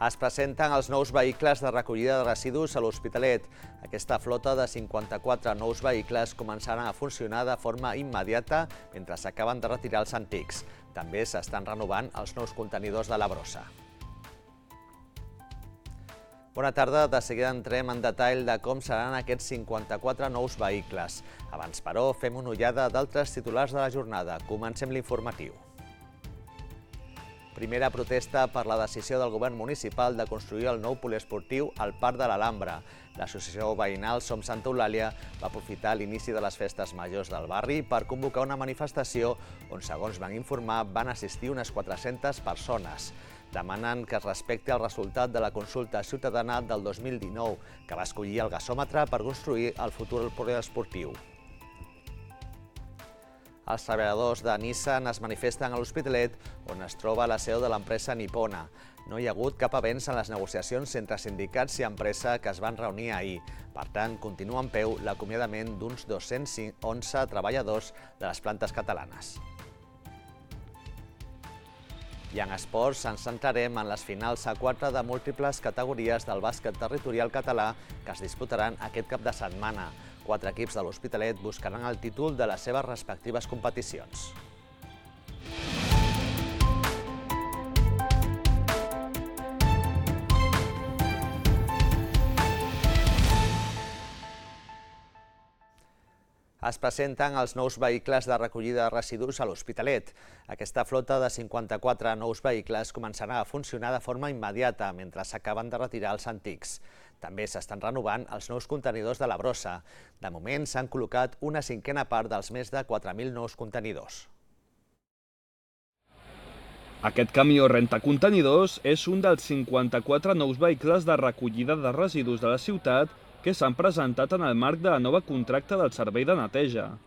Es presenten els nous vehicles de recollida de residus a l'Hospitalet. Aquesta flota de 54 nous vehicles començaran a funcionar de forma immediata mentre s'acaben de retirar els antics. També s'estan renovant els nous contenidors de la brossa. Bona tarda, de seguida entrem en detall de com seran aquests 54 nous vehicles. Abans, però, fem una ullada d'altres titulars de la jornada. Comencem l'informatiu. Primera protesta per la decisió del govern municipal de construir el nou poliesportiu al Parc de l'Alhambra. L'associació veïnal Som Santa Eulàlia va aprofitar l'inici de les festes majors del barri per convocar una manifestació on, segons van informar, van assistir unes 400 persones. Demanen que es respecti el resultat de la consulta ciutadana del 2019, que va escollir el gasòmetre per construir el futur poliesportiu. Els treballadors de Nissan es manifesten a l'Hospitalet, on es troba la seu de l'empresa nipona. No hi ha hagut cap avenç en les negociacions entre sindicats i empresa que es van reunir ahir. Per tant, continua en peu l'acomiadament d'uns 211 treballadors de les plantes catalanes. I en esports ens centrarem en les finals a 4 de múltiples categories del bàsquet territorial català que es disputaran aquest cap de setmana. 4 equips de l'Hospitalet buscaran el títol de les seves respectives competicions. Es presenten els nous vehicles de recollida de residus a l'Hospitalet. Aquesta flota de 54 nous vehicles començarà a funcionar de forma immediata mentre s'acaben de retirar els antics. També s'estan renovant els nous contenidors de la brossa. De moment s'han col·locat una cinquena part dels més de 4.000 nous contenidors. Aquest camió rentacontenidors és un dels 54 nous vehicles de recollida de residus de la ciutat que s'han presentat en el marc de la nova contracte del servei de neteja.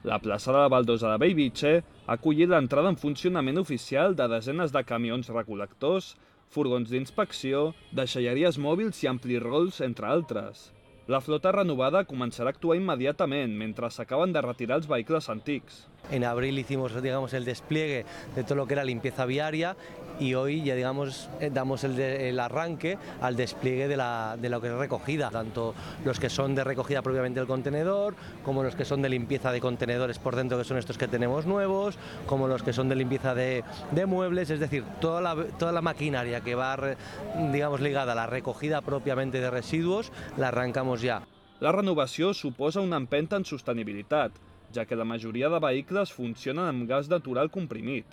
La plaça de la Baldosa de Bellvitge ha acollit l'entrada en funcionament oficial de desenes de camions recol·lectors, furgons d'inspecció, deixalleries mòbils i amplirols, entre altres. La flota renovada començarà a actuar immediatamente mentre s'acaben de retirar els vehicles antics. En abril hicimos, el despliegue de todo lo que era limpieza viaria y hoy ya damos el arranque al despliegue de lo que es recogida, tanto los que son de recogida propiamente del contenedor, como los que son de limpieza de contenedores por dentro, que son estos que tenemos nuevos, como los que son de limpieza de muebles, es decir, toda la maquinaria que va ligada a la recogida propiamente de residuos, la arrancamos ja. La renovació suposa una empenta en sostenibilitat, ja que la majoria de vehicles funcionen amb gas natural comprimit.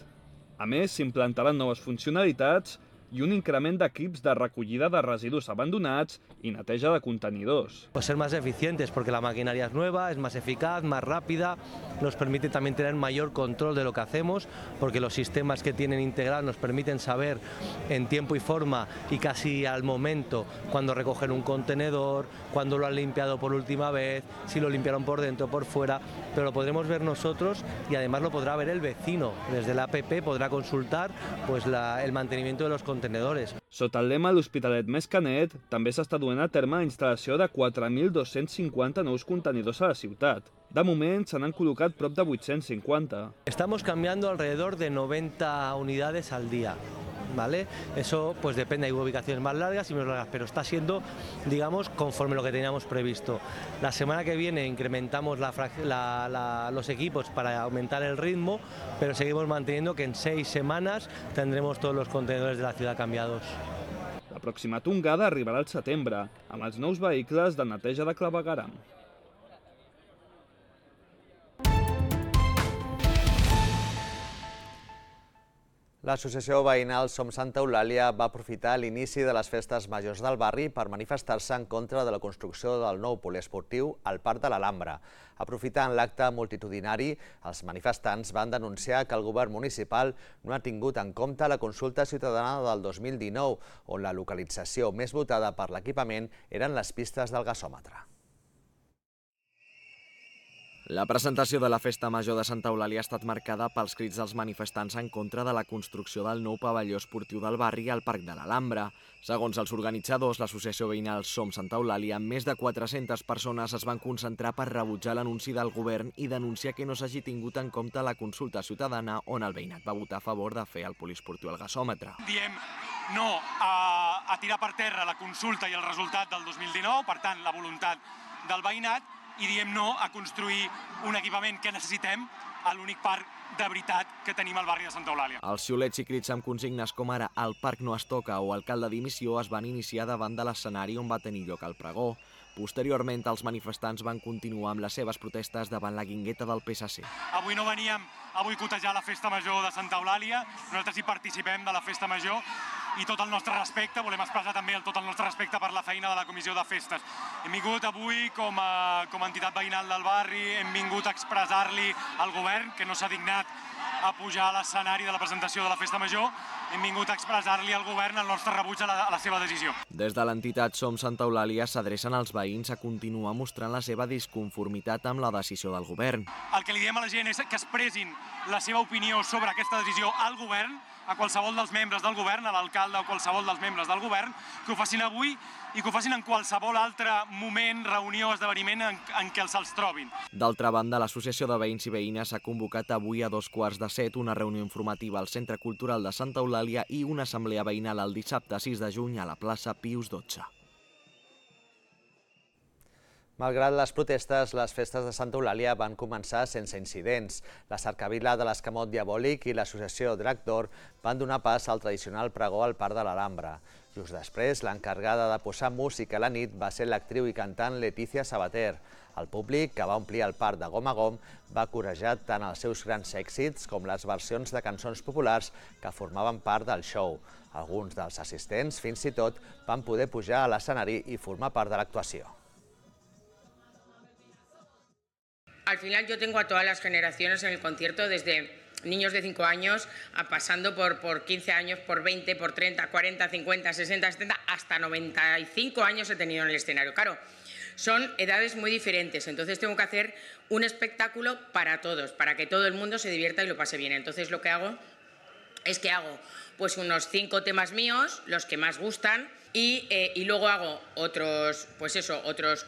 A més, s'implantaran noves funcionalitats y un increment d'equips de recollida de residus abandonats y neteja de contenidors. Pues ser más eficientes porque la maquinaria es nueva, es más eficaz, más rápida, nos permite también tener mayor control de lo que hacemos porque los sistemas que tienen integrados nos permiten saber en tiempo y forma y casi al momento cuando recogen un contenedor, cuando lo han limpiado por última vez, si lo limpiaron por dentro o por fuera, pero lo podremos ver nosotros y además lo podrá ver el vecino. Desde la app podrà consultar el mantenimiento de los contenedores. Sota el lema l'Hospitalet més que net, també s'està duent a terme la instal·lació de 4.250 nous contenidors a la ciutat. De moment se n'han col·locat prop de 850. Estamos cambiando alrededor de 90 unidades al día. ¿Vale? Eso pues depende, hay ubicaciones más largas y menos largas, pero está siendo, conforme lo que teníamos previsto. La semana que viene incrementamos los equipos para aumentar el ritmo, pero seguimos manteniendo que en 6 semanas tendremos todos los contenedores de la ciudad cambiados. La pròxima tongada arribarà al setembre, amb els nous vehicles de neteja de clavegueram. L'associació veïnal Som Santa Eulàlia va aprofitar l'inici de les festes majors del barri per manifestar-se en contra de la construcció del nou poliesportiu al Parc de l'Alhambra. Aprofitant l'acte multitudinari, els manifestants van denunciar que el govern municipal no ha tingut en compte la consulta ciutadana del 2019, on la localització més votada per l'equipament eren les pistes del gasòmetre. La presentació de la Festa Major de Santa Eulàlia ha estat marcada pels crits dels manifestants en contra de la construcció del nou pavelló esportiu del barri al Parc de l'Alhambra. Segons els organitzadors, l'associació veïnal Som Santa Eulàlia, més de 400 persones es van concentrar per rebutjar l'anunci del govern i denunciar que no s'hagi tingut en compte la consulta ciutadana on el veïnat va votar a favor de fer el poliesportiu al gasòmetre. Diem no a tirar per terra la consulta i el resultat del 2019, per tant, la voluntat del veïnat, i diem no a construir un equipament que necessitem a l'únic parc de veritat que tenim al barri de Santa Eulàlia. Els xiulets i crits amb consignes com ara "El parc no es toca" o "Alcalde dimissió" es van iniciar davant de l'escenari on va tenir lloc el pregó. Posteriorment, els manifestants van continuar amb les seves protestes davant la guingueta del PSC. Avui no veníem a boicotejar la festa major de Santa Eulàlia, nosaltres hi participem de la festa major i tot el nostre respecte, volem expressar també tot el nostre respecte per la feina de la Comissió de Festes. Hem vingut avui com a entitat veïnal del barri, hem vingut a expressar-li al govern, que no s'ha dignat a pujar a l'escenari de la presentació de la festa major, hem vingut a expressar-li al govern el nostre rebuig a la seva decisió. Des de l'entitat Som Santa Eulàlia s'adrecen als veïns a continuar mostrant la seva disconformitat amb la decisió del govern. El que li diem a la gent és que expressin la seva opinió sobre aquesta decisió al govern, a qualsevol dels membres del govern, a l'alcalde o qualsevol dels membres del govern, que ho facin avui i que ho facin en qualsevol altre moment, reunió o esdeveniment en què se'ls trobin. D'altra banda, l'Associació de Veïns i Veïnes ha convocat avui a 6:15 una reunió informativa al Centre Cultural de Santa Eulàlia i una assemblea veïnal el dissabte 6 de juny a la plaça Pius XII. Malgrat les protestes, les festes de Santa Eulàlia van començar sense incidents. La cercavila de l'Escamot Diabòlic i l'associació Drac d'Or van donar pas al tradicional pregó al Parc de l'Alhambra. Just després, l'encarregada de posar música a la nit va ser l'actriu i cantant Letícia Sabater. El públic, que va omplir el parc de gom a gom, va corejar tant els seus grans èxits com les versions de cançons populars que formaven part del show. Alguns dels assistents, fins i tot, van poder pujar a l'escenari i formar part de l'actuació. Al final yo tengo a todas las generaciones en el concierto, desde niños de 5 años, pasando por 15 años, por 20, por 30, 40, 50, 60, 70, hasta 95 años he tenido en el escenario. Claro, son edades muy diferentes, entonces tengo que hacer un espectáculo para todos, para que todo el mundo se divierta y lo pase bien. Entonces lo que hago es que hago pues unos 5 temas míos, los que más gustan, y luego hago otros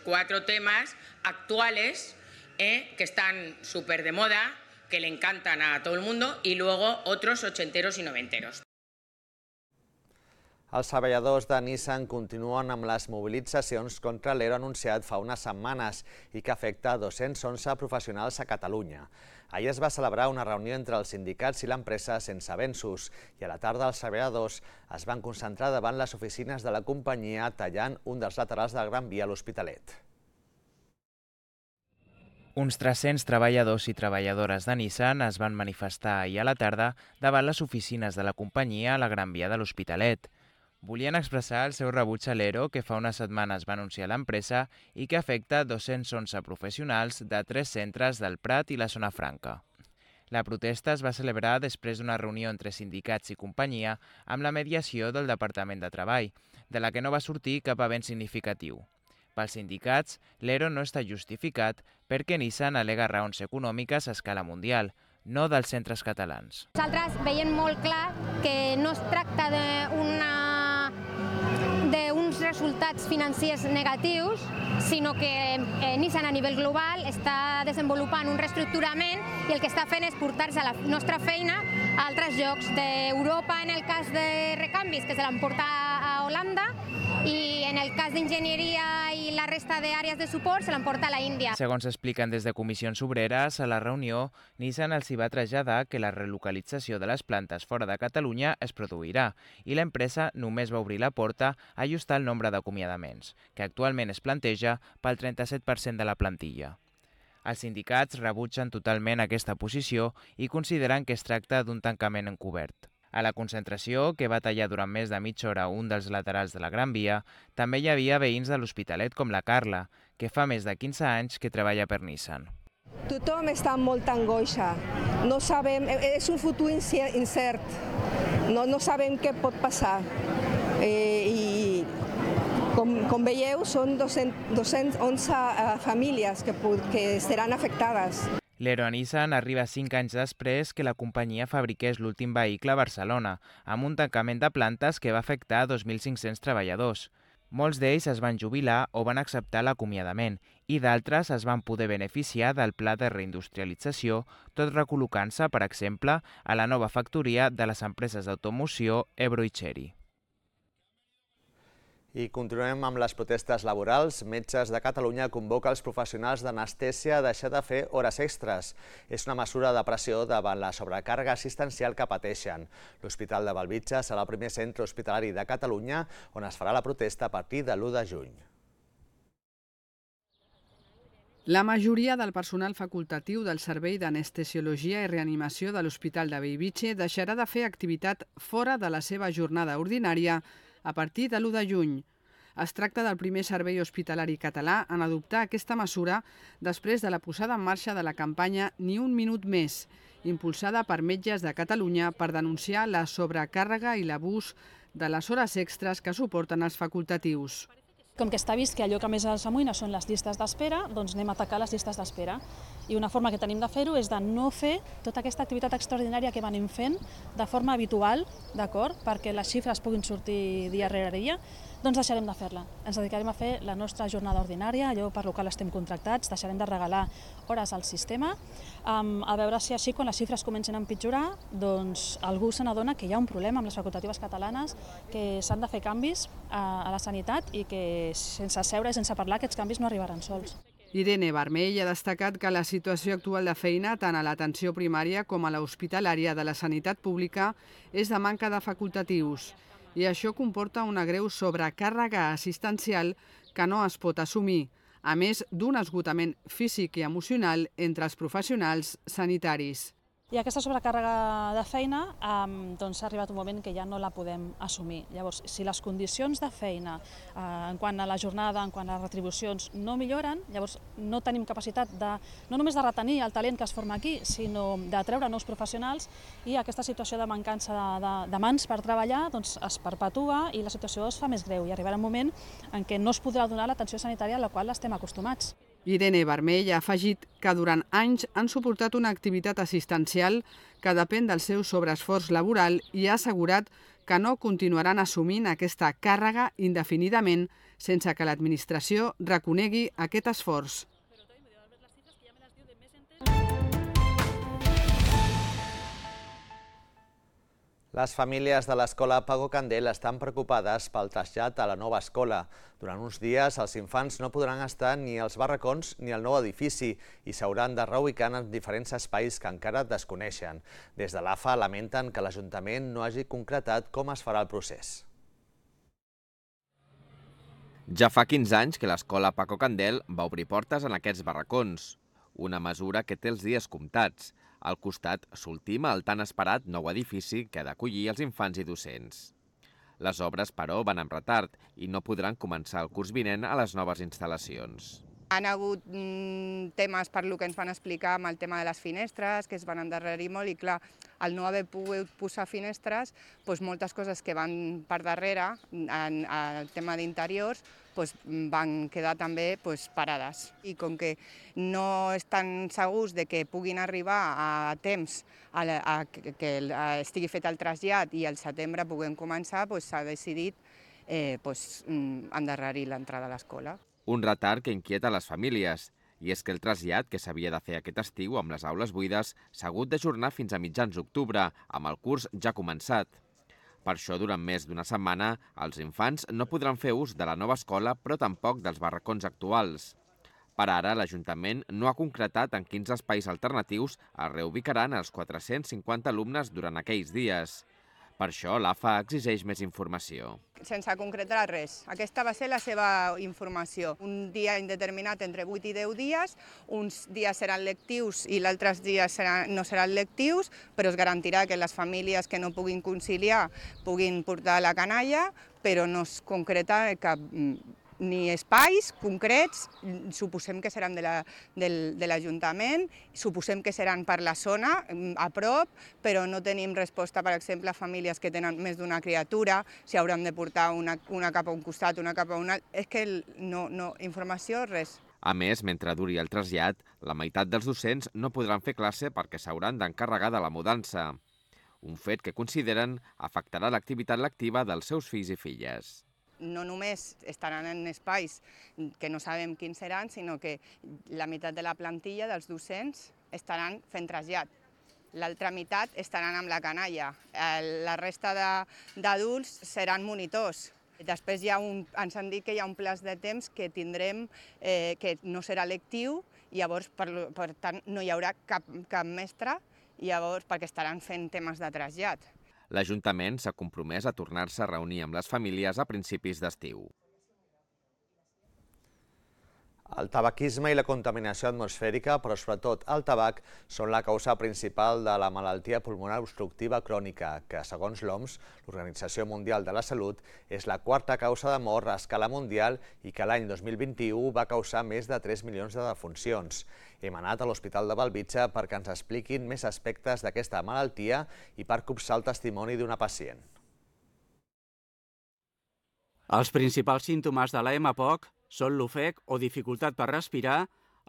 4 temas actuales, que están súper de moda, que le encantan a todo el mundo, y luego otros ochenteros y noventeros. Els treballadors de Nissan continuen amb les mobilitzacions contra l'ERO anunciat fa unes setmanes i que afecta 211 professionals a Catalunya. Ahir es va celebrar una reunió entre els sindicats i l'empresa sense avenços i a la tarda els treballadors es van concentrar davant les oficines de la companyia tallant un dels laterals del Gran Via a l'Hospitalet. Uns 300 treballadors i treballadores de Nissan es van manifestar ahir a la tarda davant les oficines de la companyia a la Gran Via de l'Hospitalet. Volien expressar el seu rebuig a l'ERO que fa unes setmanes va anunciar l'empresa i que afecta 211 professionals de 3 centres del Prat i la Zona Franca. La protesta es va celebrar després d'una reunió entre sindicats i companyia amb la mediació del Departament de Treball, de la que no va sortir cap avenç significatiu. Pels sindicats, l'ERO no està justificat perquè Nissan al·lega raons econòmiques a escala mundial, no dels centres catalans. Nosaltres veiem molt clar que no es tracta d'uns resultats financers negatius, sinó que Nissan a nivell global està desenvolupant un reestructurament i el que està fent és portar-se la nostra feina a altres llocs d'Europa, en el cas de recanvis, que se l'emporta a Holanda, i en el cas d'enginyeria i la resta d'àrees de suport se l'emporta a la Índia. Segons expliquen des de Comissions Obreres, a la reunió, Nissan els hi va traslladar que la relocalització de les plantes fora de Catalunya es produirà i l'empresa només va obrir la porta a ajustar el nombre d'acomiadaments, que actualment es planteja pel 37% de la plantilla. Els sindicats rebutgen totalment aquesta posició i consideren que es tracta d'un tancament encobert. A la concentració, que va tallar durant més de mitja hora un dels laterals de la Gran Via, també hi havia veïns de l'Hospitalet com la Carla, que fa més de 15 anys que treballa per Nissan. Tothom està amb molta angoixa. No sabem, és un futur incert. No sabem què pot passar. I com veieu, són 211 famílies que seran afectades. L'ERO a Nissan arriba 5 anys després que la companyia fabriqués l'últim vehicle a Barcelona, amb un tancament de plantes que va afectar 2.500 treballadors. Molts d'ells es van jubilar o van acceptar l'acomiadament i d'altres es van poder beneficiar del pla de reindustrialització, tot recol·locant-se, per exemple, a la nova factoria de les empreses d'automoció Ebro i Chery. I continuem amb les protestes laborals. Metges de Catalunya convoca els professionals d'anestèsia a deixar de fer hores extres. És una mesura de pressió davant la sobrecàrrega assistencial que pateixen. L'Hospital de Bellvitge serà el primer centre hospitalari de Catalunya on es farà la protesta a partir de l'1 de juny. La majoria del personal facultatiu del Servei d'Anestesiologia i Reanimació de l'Hospital de Bellvitge deixarà de fer activitat fora de la seva jornada ordinària a partir de l'1 de juny. Es tracta del primer servei hospitalari català en adoptar aquesta mesura després de la posada en marxa de la campanya Ni un minut més, impulsada per Metges de Catalunya per denunciar la sobrecàrrega i l'abús de les hores extres que suporten els facultatius. Com que està vist que allò que més els amoïna són les llistes d'espera, doncs anem a atacar les llistes d'espera. I una forma que tenim de fer-ho és de no fer tota aquesta activitat extraordinària que venim fent de forma habitual, d'acord, perquè les xifres puguin sortir dia rere dia, doncs deixarem de fer-la. Ens dedicarem a fer la nostra jornada ordinària, allò per lo qual estem contractats, deixarem de regalar hores al sistema, a veure si així, quan les xifres comencen a empitjorar, doncs algú se n'adona que hi ha un problema amb les facultatives catalanes, que s'han de fer canvis a la sanitat i que sense seure i sense parlar aquests canvis no arribaran sols. Irene Vermell ha destacat que la situació actual de feina, tant a l'atenció primària com a l'hospitalària de la sanitat pública, és de manca de facultatius. I això comporta una greu sobrecàrrega assistencial que no es pot assumir, a més d'un esgotament físic i emocional entre els professionals sanitaris. I aquesta sobrecàrrega de feina doncs ha arribat un moment que ja no la podem assumir. Llavors, si les condicions de feina en quant a la jornada, en quant a les retribucions, no milloren, llavors no tenim capacitat no només de retenir el talent que es forma aquí, sinó de treure nous professionals, i aquesta situació de mancança de mans per treballar doncs es perpetua i la situació es fa més greu i arribarà un moment en què no es podrà donar l'atenció sanitària a la qual estem acostumats. Irene Vermell ha afegit que durant anys han suportat una activitat assistencial que depèn del seu sobreesforç laboral i ha assegurat que no continuaran assumint aquesta càrrega indefinidament sense que l'administració reconegui aquest esforç. Les famílies de l'escola Paco Candel estan preocupades pel trasllat a la nova escola. Durant uns dies, els infants no podran estar ni als barracons ni al nou edifici i s'hauran de reubicar en diferents espais que encara desconeixen. Des de l'AFA lamenten que l'Ajuntament no hagi concretat com es farà el procés. Ja fa 15 anys que l'escola Paco Candel va obrir portes en aquests barracons, una mesura que té els dies comptats. Al costat s'ultima el tan esperat nou edifici que ha d'acollir els infants i docents. Les obres, però, van amb retard i no podran començar el curs vinent a les noves instal·lacions. Han hagut temes per lo que ens van explicar amb el tema de les finestres, que es van endarrerir molt i clar, al no haver pogut posar finestres, moltes coses que van per darrere, en el tema d'interiors, van quedar també parades. I com que no estan segurs de que puguin arribar a temps a que estigui fet el trasllat i al setembre puguem començar, s'ha decidit endarrerir l'entrada a l'escola. Un retard que inquieta les famílies, i és que el trasllat que s'havia de fer aquest estiu amb les aules buides s'ha hagut d'ajornar fins a mitjans d'octubre, amb el curs ja començat. Per això, durant més d'una setmana, els infants no podran fer ús de la nova escola, però tampoc dels barracons actuals. Per ara, l'Ajuntament no ha concretat en quins espais alternatius es reubicaran els 450 alumnes durant aquells dies. Per això, l'AFA exigeix més informació. Sense concretar res. Aquesta va ser la seva informació. Un dia indeterminat entre 8 i 10 dies, uns dies seran lectius i altres dies no seran lectius, però es garantirà que les famílies que no puguin conciliar puguin portar la canalla, però no es concreta cap ni espais concrets, suposem que seran de l'Ajuntament, suposem que seran per la zona, a prop, però no tenim resposta, per exemple, a famílies que tenen més d'una criatura, si hauran de portar una cap a un costat, una cap a un altre, és que no, informació, res. A més, mentre duri el trasllat, la meitat dels docents no podran fer classe perquè s'hauran d'encarregar de la mudança. Un fet que consideren afectarà l'activitat lectiva dels seus fills i filles. No només estaran en espais que no sabem quins seran, sinó que la meitat de la plantilla dels docents estaran fent trasllat. L'altra meitat estaran amb la canalla. La resta d'adults seran monitors. Després ens han dit que hi ha un plaç de temps que tindrem, que no serà lectiu, i llavors, per tant, no hi haurà cap mestre, i llavors perquè estaran fent temes de trasllat. L'Ajuntament s'ha compromès a tornar-se a reunir amb les famílies a principis d'estiu. El tabaquisme i la contaminació atmosfèrica, però sobretot el tabac, són la causa principal de la malaltia pulmonar obstructiva crònica, que, segons l'OMS, l'Organització Mundial de la Salut, és la quarta causa de mort a escala mundial i que l'any 2021 va causar més de 3 milions de defuncions. Hem anat a l'Hospital de Bellvitge perquè ens expliquin més aspectes d'aquesta malaltia i per copsar el testimoni d'una pacient. Els principals símptomes de la EMAPOC són l'ofec o dificultat per respirar,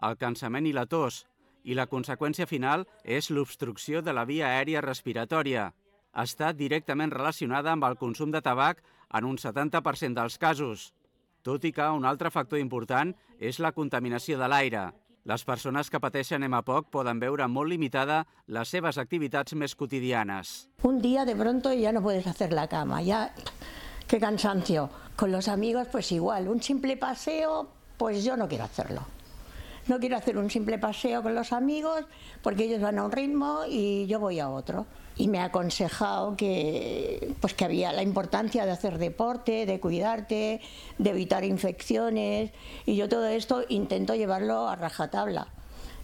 el cansament i la tos, i la conseqüència final és l'obstrucció de la via aèria respiratòria. Està directament relacionada amb el consum de tabac en un 70% dels casos, tot i que un altre factor important és la contaminació de l'aire. Les persones que pateixen EMAPOC poden veure molt limitada les seves activitats més quotidianes. Un día de pronto ya no puedes hacer la cama, ya... ¡Qué cansancio! Con los amigos pues igual, un simple paseo, pues yo no quiero hacerlo. No quiero hacer un simple paseo con los amigos porque ellos van a un ritmo y yo voy a otro. Y me ha aconsejado que había la importancia de hacer deporte, de cuidarte, de evitar infecciones, y yo todo esto intento llevarlo a rajatabla,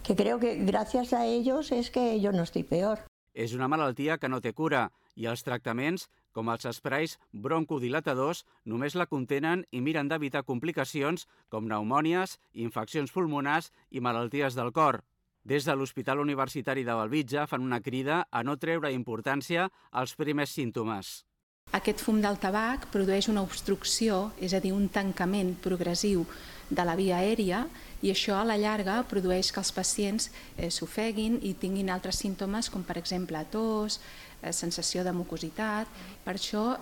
que creo que gracias a ellos es que yo no estoy peor. És una malaltia que no té cura i els tractaments, com els esprais broncodilatadors, només la contenen i miren d'evitar complicacions com pneumònies, infeccions pulmonars i malalties del cor. Des de l'Hospital Universitari de Bellvitge fan una crida a no treure importància als primers símptomes. Aquest fum del tabac produeix una obstrucció, és a dir, un tancament progressiu de la via aèria, i això a la llarga produeix que els pacients s'ofeguin i tinguin altres símptomes com per exemple tos, sensació de mucositat. Per això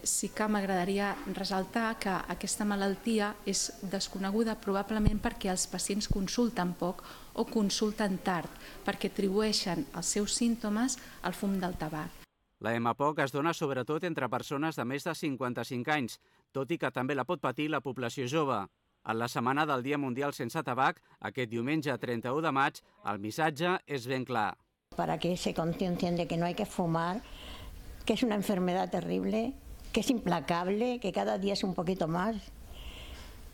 sí que m'agradaria ressaltar que aquesta malaltia és desconeguda probablement perquè els pacients consulten poc o consulten tard, perquè atribueixen els seus símptomes al fum del tabac. La EMAPOC es dona sobretot entre persones de més de 55 anys, tot i que també la pot patir la població jove. En la setmana del Dia Mundial Sense Tabac, aquest diumenge 31 de maig, el missatge és ben clar. Para que se conciencien de que no hay que fumar, que es una enfermedad terrible, que es implacable, que cada día es un poquito más,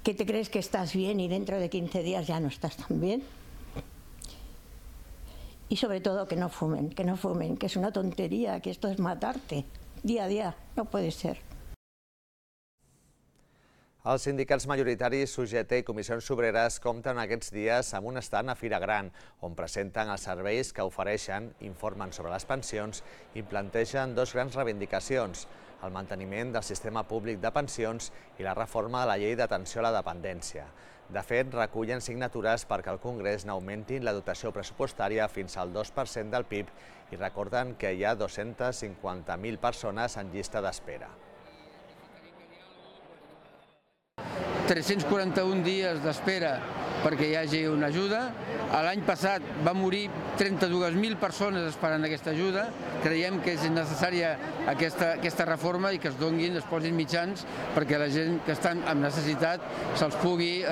que te crees que estás bien y dentro de 15 días ya no estás tan bien. Y sobre todo que no fumen, que es una tontería, que esto es matarte día a día, no puede ser. Els sindicats majoritaris UGT i Comissions Obreres compten aquests dies amb un estand a Fira Gran, on presenten els serveis que ofereixen, informen sobre les pensions i plantegen dos grans reivindicacions: el manteniment del sistema públic de pensions i la reforma de la llei d'atenció a la dependència. De fet, recullen signatures perquè el Congrés n'augmenti la dotació pressupostària fins al 2% del PIB i recorden que hi ha 250.000 persones en llista d'espera. 341 dies d'espera perquè hi hagi una ajuda. L'any passat va morir 32.000 persones esperant aquesta ajuda. Creiem que és necessària aquesta reforma i que es donin, es posin mitjans perquè la gent que estan en necessitat se'ls pugui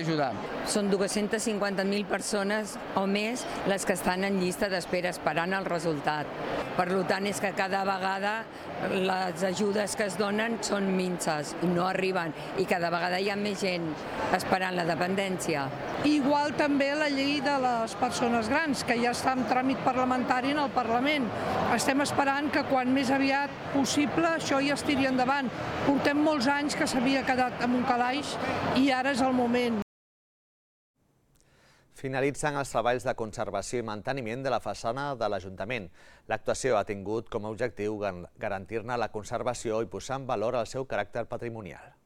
ajudar. Són 250.000 persones o més les que estan en llista d'espera esperant el resultat. Per tant, és que cada vegada les ajudes que es donen són minses i no arriben, i cada vegada hi ha més gent esperant la dependència. Igual també la llei de les persones grans, que ja està en tràmit parlamentari en el Parlament. Estem esperant que quan més aviat possible això ja es tiri endavant. Portem molts anys que s'havia quedat en un calaix i ara és el moment. Finalitzen els treballs de conservació i manteniment de la façana de l'Ajuntament. L'actuació ha tingut com a objectiu garantir-ne la conservació i posar en valor el seu caràcter patrimonial.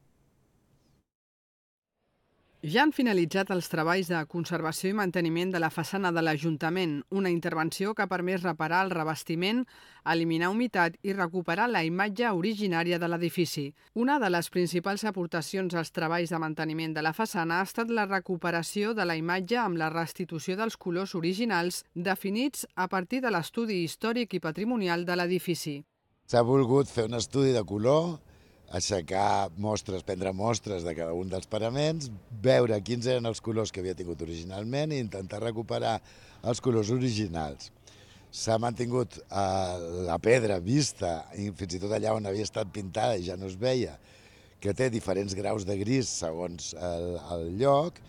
Ja han finalitzat els treballs de conservació i manteniment de la façana de l'Ajuntament, una intervenció que ha permès reparar el revestiment, eliminar humitat i recuperar la imatge originària de l'edifici. Una de les principals aportacions als treballs de manteniment de la façana ha estat la recuperació de la imatge amb la restitució dels colors originals definits a partir de l'estudi històric i patrimonial de l'edifici. S'ha volgut fer un estudi de color aixecar mostres, prendre mostres de cada un dels paraments, veure quins eren els colors que havia tingut originalment i intentar recuperar els colors originals. S'ha mantingut la pedra vista, i fins i tot allà on havia estat pintada i ja no es veia, que té diferents graus de gris segons el lloc,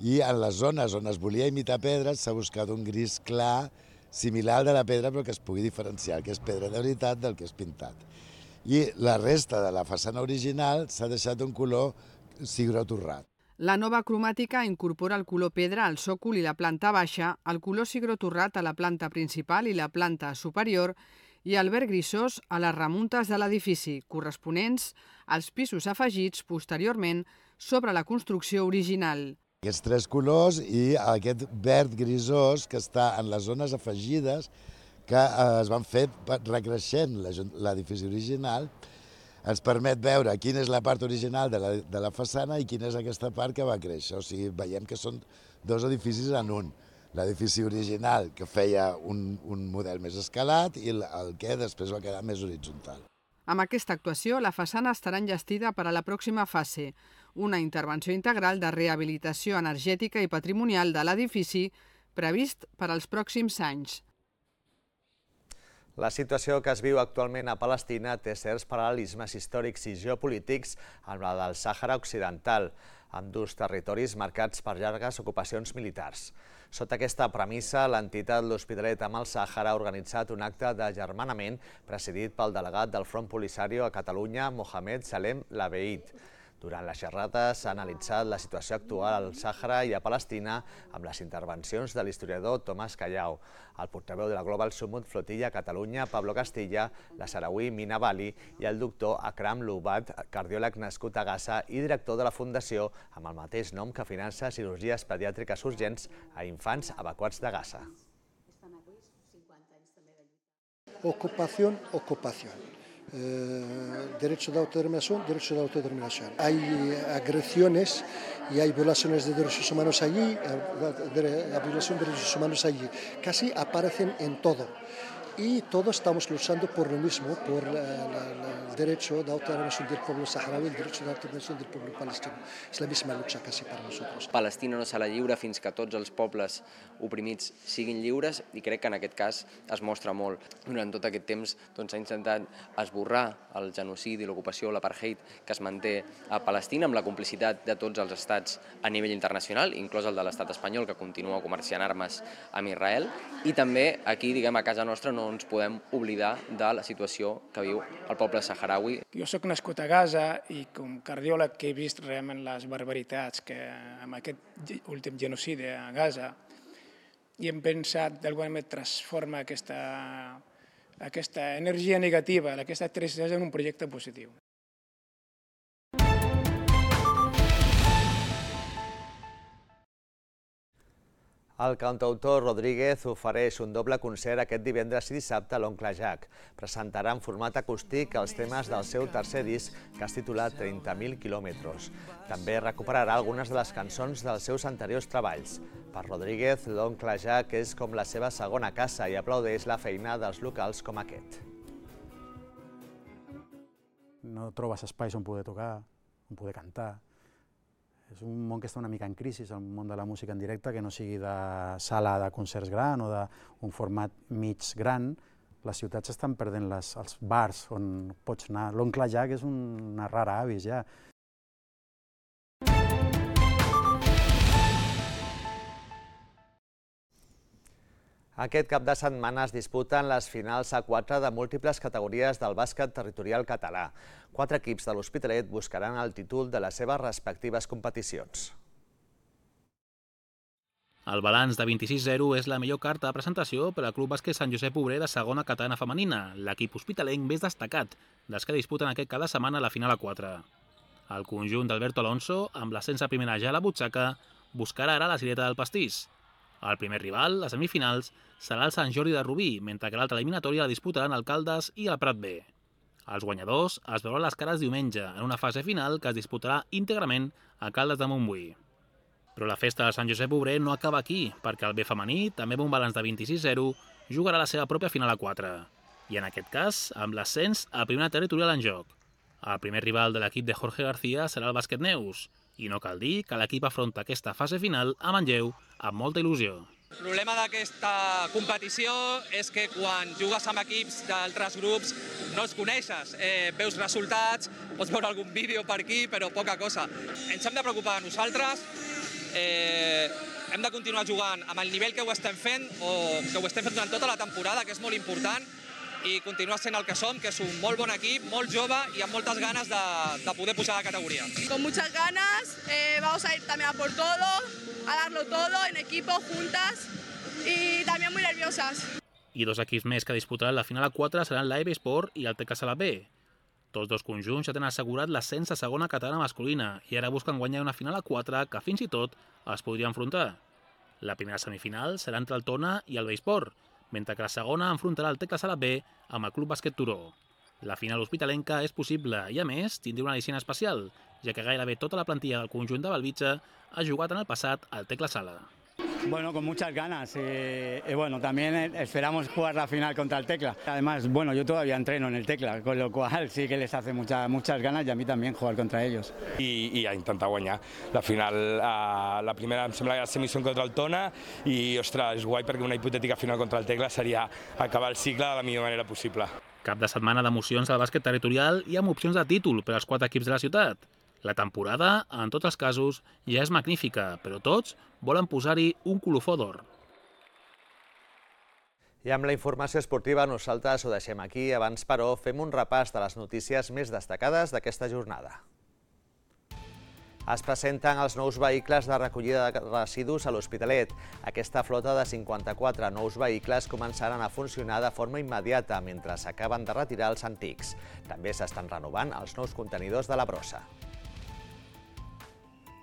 i en les zones on es volia imitar pedres s'ha buscat un gris clar, similar al de la pedra, però que es pugui diferenciar el que és pedra de veritat del que és pintat. I la resta de la façana original s'ha deixat un color cigró torrat. La nova cromàtica incorpora el color pedra al sòcol i la planta baixa, el color cigró torrat a la planta principal i la planta superior i el verd grisós a les remuntes de l'edifici, corresponents als pisos afegits posteriorment sobre la construcció original. Aquests tres colors i aquest verd grisós que està en les zones afegides que es van fer recreixent l'edifici original, ens permet veure quina és la part original de la façana i quina és aquesta part que va créixer. O sigui, veiem que són dos edificis en un. L'edifici original, que feia un model més escalat, i el que després va quedar més horitzontal. Amb aquesta actuació, la façana estarà enllestida per a la pròxima fase, una intervenció integral de rehabilitació energètica i patrimonial de l'edifici previst per als pròxims anys. La situació que es viu actualment a Palestina té certs paral·lelismes històrics i geopolítics amb la del Sàhara Occidental, amb dos territoris marcats per llargues ocupacions militars. Sota aquesta premissa, l'entitat L'Hospitalet amb el Sàhara ha organitzat un acte d'agermanament presidit pel delegat del Front Polisario a Catalunya, Mohamed Salem Labeid. Durant la xerrada s'ha analitzat la situació actual al Sàhara i a Palestina amb les intervencions de l'historiador Tomàs Callao, el portaveu de la Global Summit Flotilla a Catalunya, Pablo Castilla, la sarauí Mina Bali i el doctor Akram Loubat, cardiòleg nascut a Gaza i director de la fundació amb el mateix nom que finança cirurgies pediàtriques urgents a infants evacuats de Gaza. Ocupación. Derecho de autodeterminación. Hay agresiones y hay violaciones de derechos humanos allí, la violación de derechos humanos allí. Casi aparecen en todo. Y todos estamos luchando por lo mismo, por el derecho de autodeterminación del pueblo saharaui, el derecho de autodeterminación del pueblo palestino. Es la misma lucha casi para nosotros. Palestina no serà lliure fins que tots els pobles oprimits siguin lliures i crec que en aquest cas es mostra molt. Durant tot aquest temps s'ha intentat esborrar el genocidi, l'ocupació, l'apartheid que es manté a Palestina amb la complicitat de tots els estats a nivell internacional, inclòs el de l'estat espanyol que continua comerciant armes amb Israel, i també aquí, a casa nostra, no ens podem oblidar de la situació que viu el poble saharaui. Jo soc nascut a Gaza i com cardiòleg que he vist realment les barbaritats que amb aquest últim genocidi a Gaza i hem pensat d'alguna manera transformar aquesta energia negativa, aquesta tristesa en un projecte positiu. El cantautor Rodríguez ofereix un doble concert aquest divendres i dissabte a l'Oncle Jack. Presentarà en format acústic els temes del seu tercer disc, que es titula 30.000 quilòmetres. També recuperarà algunes de les cançons dels seus anteriors treballs. Per Rodríguez, l'Oncle Jack és com la seva segona casa i aplaudeix la feina dels locals com aquest. No trobes espais on poder tocar, on poder cantar. És un món que està una mica en crisi, el món de la música en directe, que no sigui de sala de concerts gran o d'un format mig gran. Les ciutats estan perdent els bars on pots anar. L'Oncle Jack és una rara avis ja. Aquest cap de setmana es disputen les finals A4 de múltiples categories del bàsquet territorial català. 4 equips de l'Hospitalet buscaran el títol de les seves respectives competicions. El balanç de 26-0 és la millor carta de presentació per al Club Bàsquet Sant Josep Obrer de segona catalana femenina, l'equip hospitalenc més destacat dels que disputen aquest cada setmana la final A4. El conjunt d'Alberto Alonso, amb l'ascens a primera ja a la butxaca, buscarà ara la cireta del pastís. El primer rival, les semifinals, serà el Sant Jordi de Rubí, mentre que l'altra eliminatòria la disputaran Alcaldes i el Prat B. Els guanyadors es veuran les cares diumenge, en una fase final que es disputarà íntegrament a Caldes de Montbui. Però la festa de Sant Josep Obrer no acaba aquí, perquè el B femení, també amb un balanç de 26-0, jugarà la seva pròpia final A4. I en aquest cas, amb l'ascens a primera territorial en joc. El primer rival de l'equip de Jorge García serà el Bàsquet Neus, i no cal dir que l'equip afronta aquesta fase final a Manlleu amb molta il·lusió. El problema d'aquesta competició és que quan jugues amb equips d'altres grups no els coneixes, veus resultats, pots veure algun vídeo per aquí, però poca cosa. Ens hem de preocupar de nosaltres, hem de continuar jugant amb el nivell que ho estem fent o que ho estem fent durant tota la temporada, que és molt important, i continuar sent el que som, que és un molt bon equip, molt jove i amb moltes ganes de poder pujar de categoria. Con muchas ganas, vamos a ir también a por todo, a darlo todo en equipo, juntas y también muy nerviosas. I dos equips més que disputaran la final a 4 seran l'AEB Sport i el Tecla Sala B. Tots dos conjunts ja tenen assegurat l'ascens a segona catalana masculina i ara busquen guanyar una final a 4 que fins i tot es podria enfrontar. La primera semifinal serà entre el Tona i el B-Sport, mentre que la segona enfrontarà el Tecla Sala B amb el Club Bàsquet Turó. La final hospitalenca és possible i, a més, tindrà una al·licient especial, ja que gairebé tota la plantilla del conjunt de Belvitge ha jugat en el passat al Tecla Sala. Bueno, con muchas ganas y bueno, también esperamos jugar la final contra el Tecla. Además, bueno, yo todavía entreno en el Tecla, con lo cual sí que les hace muchas ganas y a mí también jugar contra ellos. I a intentar guanyar. La final, la primera em sembla que era la semifinal contra el Tona i, ostres, és guai perquè una hipotètica final contra el Tecla seria acabar el cicle de la millor manera possible. Cap de setmana d'emocions al bàsquet territorial i amb opcions de títol per als 4 equips de la ciutat. La temporada, en tots els casos, ja és magnífica, però tots volen posar-hi un colofó d'or. I amb la informació esportiva nosaltres ho deixem aquí. Abans, però, fem un repàs de les notícies més destacades d'aquesta jornada. Es presenten els nous vehicles de recollida de residus a l'Hospitalet. Aquesta flota de 54 nous vehicles començaran a funcionar de forma immediata mentre s'acaben de retirar els antics. També s'estan renovant els nous contenidors de la brossa.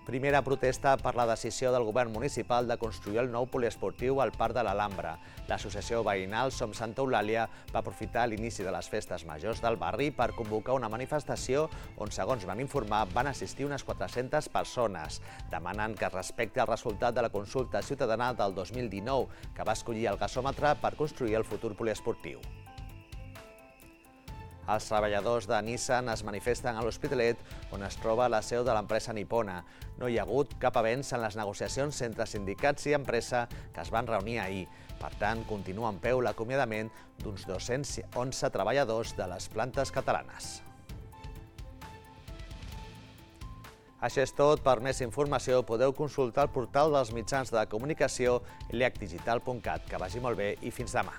Primera protesta per la decisió del govern municipal de construir el nou poliesportiu al Parc de l'Alhambra. L'associació veïnal Som Santa Eulàlia va aprofitar l'inici de les festes majors del barri per convocar una manifestació on, segons van informar, van assistir unes 400 persones. Demanen que es respecti el resultat de la consulta ciutadana del 2019, que va escollir el gasòmetre per construir el futur poliesportiu. Els treballadors de Nissan es manifesten a l'Hospitalet, on es troba la seu de l'empresa nipona. No hi ha hagut cap avenç en les negociacions entre sindicats i empresa que es van reunir ahir. Per tant, continua en peu l'acomiadament d'uns 211 treballadors de les plantes catalanes. Això és tot. Per més informació podeu consultar el portal dels mitjans de comunicació leacdigital.cat. Que vagi molt bé i fins demà.